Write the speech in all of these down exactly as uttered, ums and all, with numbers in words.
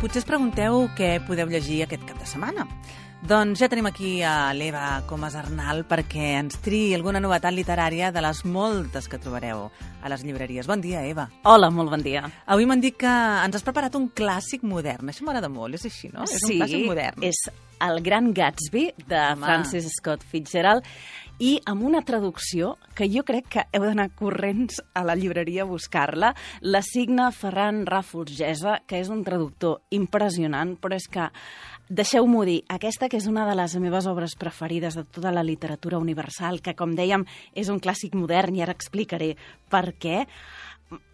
Potser es pregunteu què podeu llegir aquest cap de setmana. Doncs ja tenim aquí a l'Eva Comas Arnal perquè ens triï alguna novetat literària de les moltes que trobareu a les llibreries. Bon dia, Eva. Hola, molt bon dia. Avui m'han dit que ens has preparat un clàssic modern. Això m'agrada molt, és així, no? És sí, un clàssic modern. és El Gran Gatsby, de Home. Francis Scott Fitzgerald, i amb una traducció que jo crec que heu d'anar corrents a la llibreria a buscar-la. La signa Ferran Ràfols Gesa, que és un traductor impressionant, però és que, deixeu-m'ho dir, aquesta que és una de les meves obres preferides de tota la literatura universal, que, com dèiem, és un clàssic modern, i ara explicaré per què,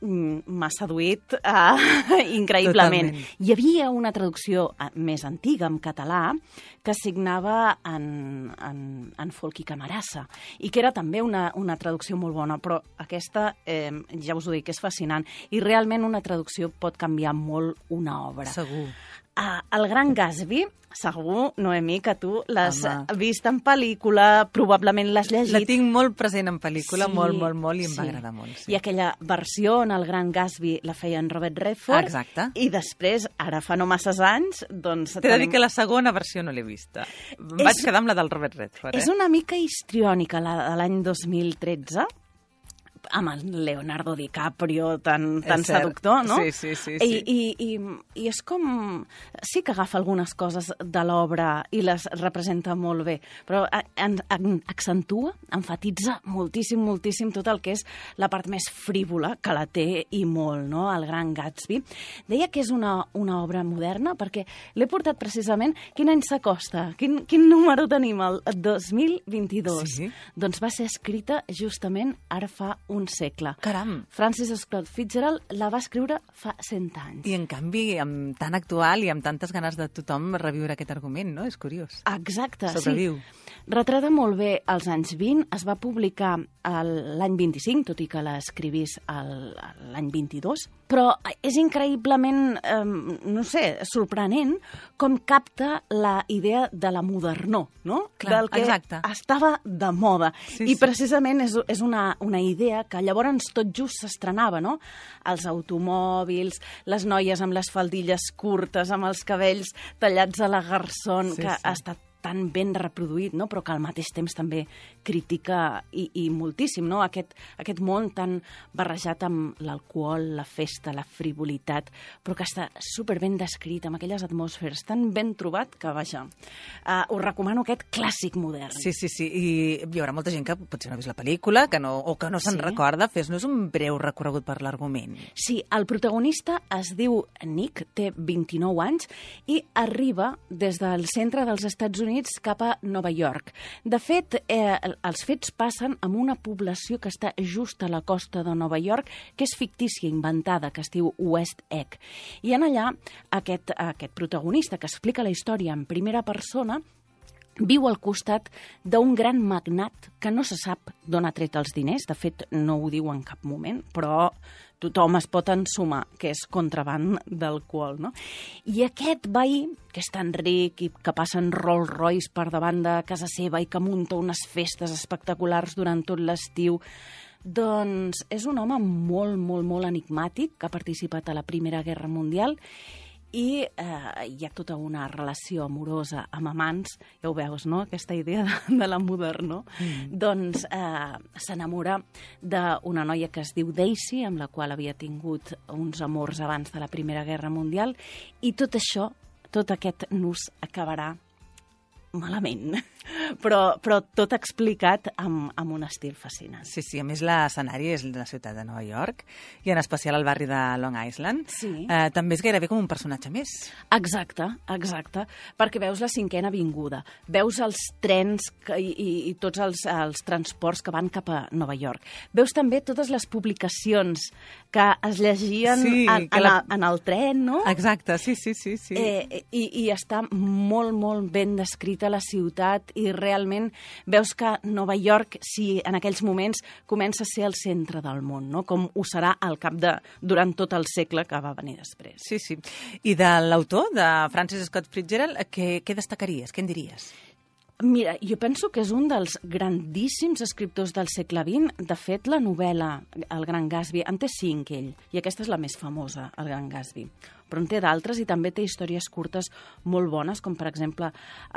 m'ha seduït uh, increïblement. Totalment. Hi havia una traducció uh, més antiga, en català, que signava en, en, en Folch i Camarasa, i que era també una, una traducció molt bona, però aquesta, eh, ja us ho dic, és fascinant, i realment una traducció pot canviar molt una obra. Segur. Uh, el Gran Gatsby, segur, Noemí, que tu l'has Home. vist en pel·lícula, probablement l'has llegit. La tinc molt present en pel·lícula, Sí, molt, molt, molt, i em sí. va agradar molt. Sí. I aquella versió en el Gran Gatsby la feia en Robert Redford. Exacte. I després, ara fa no masses anys, doncs... T'he de dir que la segona versió no l'he vista. Em És- vaig quedar amb la del Robert Redford, eh? És una mica histriònica, la de l'any dos mil tretze, amb el Leonardo DiCaprio tan, tan És cert. seductor, no? Sí, sí, sí, I, sí. i, i, I és com... Sí que agafa algunes coses de l'obra i les representa molt bé, però en, en, accentua, enfatitza moltíssim, moltíssim tot el que és la part més frívola, que la té i molt, no?, el Gran Gatsby. Deia que és una, una obra moderna perquè l'he portat precisament... Quin any s'acosta? Quin, quin número tenim? El dos mil vint-i-dos. Sí. Doncs va ser escrita justament ara fa un segle. Caram! Francis Scott Fitzgerald la va escriure fa cent anys. I, en canvi, amb tan actual i amb tantes ganes de tothom reviure aquest argument, no? És curiós. Exacte, Sobreviu. sí. Retrata molt bé els anys vint, es va publicar el- l'any vint-i-cinc, tot i que l'escrivís el- l'any vint-i-dos, però és increïblement, eh, no sé, sorprenent com capta la idea de la modernor, no? Clar, Del que exacte. estava de moda. Sí, I sí. precisament és, és una, una idea que llavors tot just s'estrenava, no? Els automòbils, les noies amb les faldilles curtes, amb els cabells tallats a la garçon, Sí, que sí. ha estat tan ben reproduït, no? Però que al mateix temps també critica i, i moltíssim, no? Aquest, aquest món tan barrejat amb l'alcohol, la festa, la frivolitat, però que està superben descrit, amb aquelles atmosferes tan ben trobat que, vaja, uh, us recomano aquest clàssic modern. Sí, sí, sí. I hi haurà molta gent que potser no ha vist la pel·lícula que no, o que no se'n Sí. recorda. Fes-nos un breu recorregut per l'argument. Sí, el protagonista es diu Nick, té vint-i-nou anys i arriba des del centre dels Estats Units cap a Nova York. De fet, eh, els fets passen en una població que està just a la costa de Nova York, que és fictícia, inventada, que es diu West Egg. I en allà, aquest, aquest protagonista que explica la història en primera persona viu al costat d'un gran magnat que no se sap d'on ha tret els diners, de fet no ho diu en cap moment, però tothom es pot ensumar que és contraband d'alcohol, no? I aquest veí, que és tan ric i que passa en Rolls Royce per davant de casa seva i que munta unes festes espectaculars durant tot l'estiu, doncs és un home molt, molt, molt enigmàtic que ha participat a la Primera Guerra Mundial i eh, hi ha tota una relació amorosa amb amants, ja ho veus, no?, aquesta idea de, de la modernor. Mm. Doncs eh, s'enamora d'una noia que es diu Daisy, amb la qual havia tingut uns amors abans de la Primera Guerra Mundial, i tot això, tot aquest nus acabarà malament, però, però tot explicat amb, amb un estil fascinant. Sí, sí, a més l'escenari és la ciutat de Nova York i en especial el barri de Long Island. Sí. Eh, també és gairebé com un personatge més. Exacte, exacte, perquè veus la cinquena avinguda, veus els trens que, i, i, i tots els, els transports que van cap a Nova York. Veus també totes les publicacions que es llegien Sí, en, que en, la- el, en el tren, no? Exacte, sí, sí, sí. sí. Eh, i, I està molt, molt ben descrita la ciutat i realment veus que Nova York, si en aquells moments comença a ser el centre del món, no? Com ho serà al cap de, durant tot el segle que va venir després. Sí, sí. I de l'autor, de Francis Scott Fitzgerald, què, què destacaries? Què en diries? Mira, jo penso que és un dels grandíssims escriptors del segle vint. De fet, la novel·la El Gran Gatsby en té cinc, ell, i aquesta és la més famosa, El Gran Gatsby. Però en té d'altres i també té històries curtes molt bones, com per exemple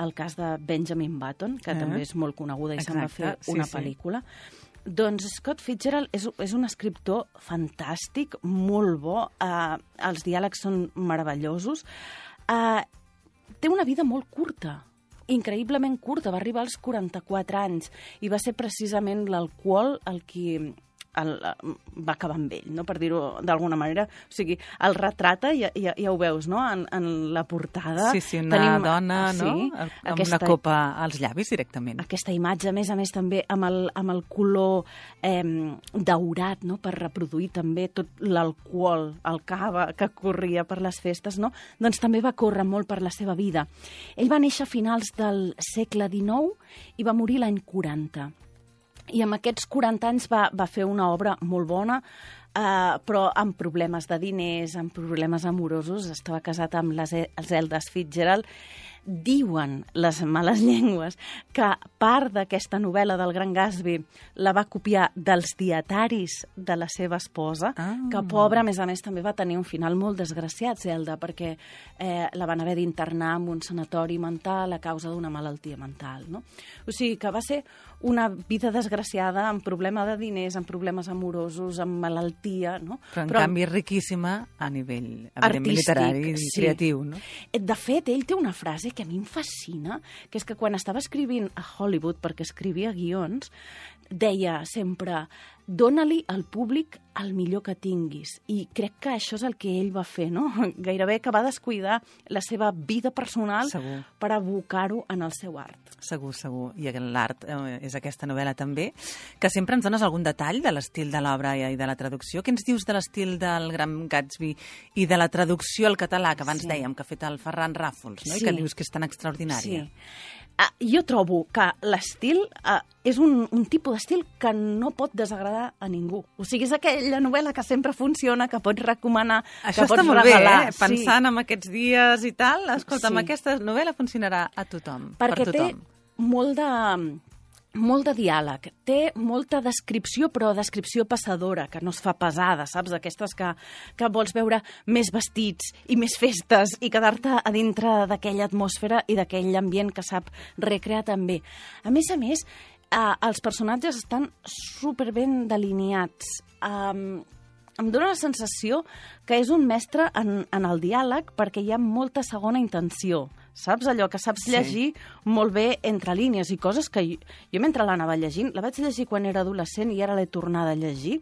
el cas de Benjamin Button, que eh? també és molt coneguda i se'n va fer una sí, pel·lícula. Sí. Doncs Scott Fitzgerald és, és un escriptor fantàstic, molt bo, eh, els diàlegs són meravellosos, eh, té una vida molt curta, increïblement curta, va arribar als quaranta-quatre anys i va ser precisament l'alcohol el qui el, va acabar amb ell, no? Per dir-ho d'alguna manera. O sigui, el retrata, ja, ja, ja ho veus, no? En, en la portada. Sí, sí, una Tenim, dona, sí, no? Amb aquesta, una copa als llavis directament. Aquesta imatge, a més a més, també amb el, amb el color eh, daurat, no? Per reproduir també tot l'alcohol, el cava que corria per les festes, no? Doncs també va córrer molt per la seva vida. Ell va néixer a finals del segle dinou i va morir l'any quaranta. I amb aquests quaranta anys va, va fer una obra molt bona, eh, però amb problemes de diners, amb problemes amorosos. Estava casat amb les Zeldas Fitzgerald. Diuen les males llengües que part d'aquesta novel·la del Gran Gatsby la va copiar dels dietaris de la seva esposa, ah. que pobra, a més a més, també va tenir un final molt desgraciat, Zelda, perquè eh, la van haver d'internar en un sanatori mental a causa d'una malaltia mental, no? O sigui que va ser una vida desgraciada, amb problema de diners, amb problemes amorosos, amb malaltia, no? Però, en Però canvi, riquíssima a nivell artístic, literari i sí. creatiu, no? De fet, ell té una frase que a mi em fascina, que és que quan estava escrivint a Hollywood, perquè escrivia guions, deia sempre: dóna-li al públic el millor que tinguis. I crec que això és el que ell va fer, no? Gairebé que va descuidar la seva vida personal segur. Per abocar-ho en el seu art. Segur, segur. I l'art eh, és aquesta novel·la també, que sempre ens dones algun detall de l'estil de l'obra i de la traducció. Què ens dius de l'estil del Gran Gatsby i de la traducció al català, que abans sí. dèiem que ha fet el Ferran Ràfols, no? Sí. I que dius que és tan extraordinària? Sí. Uh, jo trobo que l'estil uh, és un, un tipus d'estil que no pot desagradar a ningú. O sigui, és aquella novel·la que sempre funciona, que pots recomanar, Això que pots molt regalar. Bé, eh? Pensant sí. en aquests dies i tal, escolta, sí. aquesta novel·la funcionarà a tothom. Perquè per tothom. té molt de... molt de diàleg, té molta descripció, però descripció passadora, que no es fa pesada, saps? Aquestes que, que vols veure més vestits i més festes i quedar-te a dintre d'aquella atmosfera i d'aquell ambient que sap recrear també. A més a més, eh, els personatges estan superben delineats. Um, em dóna la sensació que és un mestre en, en el diàleg perquè hi ha molta segona intenció. Saps? Allò que saps llegir sí. molt bé entre línies i coses que jo, jo mentre l'anava llegint, la vaig llegir quan era adolescent i ara l'he tornada a llegir,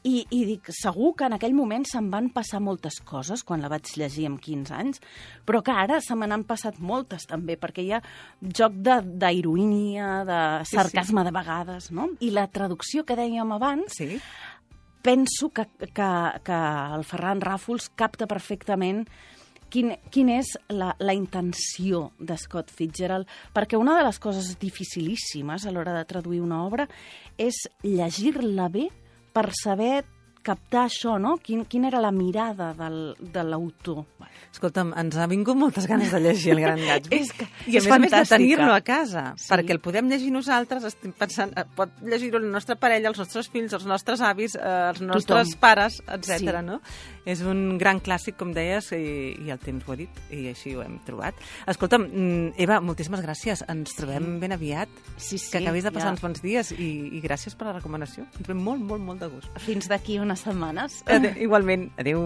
i, i dic, segur que en aquell moment se'm van passar moltes coses quan la vaig llegir amb quinze anys, però que ara se me n'han passat moltes també, perquè hi ha joc d'ironia, de, de sarcasme sí, sí. de vegades, no? I la traducció que dèiem abans... Sí. Penso que, que, que el Ferran Ràfols capta perfectament quin, quin és la, la intenció de Scott Fitzgerald, perquè una de les coses dificilíssimes a l'hora de traduir una obra és llegir-la bé per saber captar això, no? Quin, quina era la mirada del, de l'autor. Escolta'm, ens ha vingut moltes ganes de llegir El Gran Gatsby. és que, I a és més a més de tenir-lo a casa, sí. perquè el podem llegir nosaltres, estem pensant, pot llegir-ho la nostra parella, els nostres fills, els nostres avis, eh, els nostres Tothom. pares, etcètera. Sí. No? És un gran clàssic, com deies, i, i el temps ho ha dit, i així ho hem trobat. Escolta'm, Eva, moltíssimes gràcies. Ens trobem sí. ben aviat. Sí, sí, que acabis de passar ja. uns bons dies, i, i gràcies per la recomanació. Ens trobem molt, molt, molt de gust. Fins d'aquí unes setmanes. Adeu, igualment. Adéu.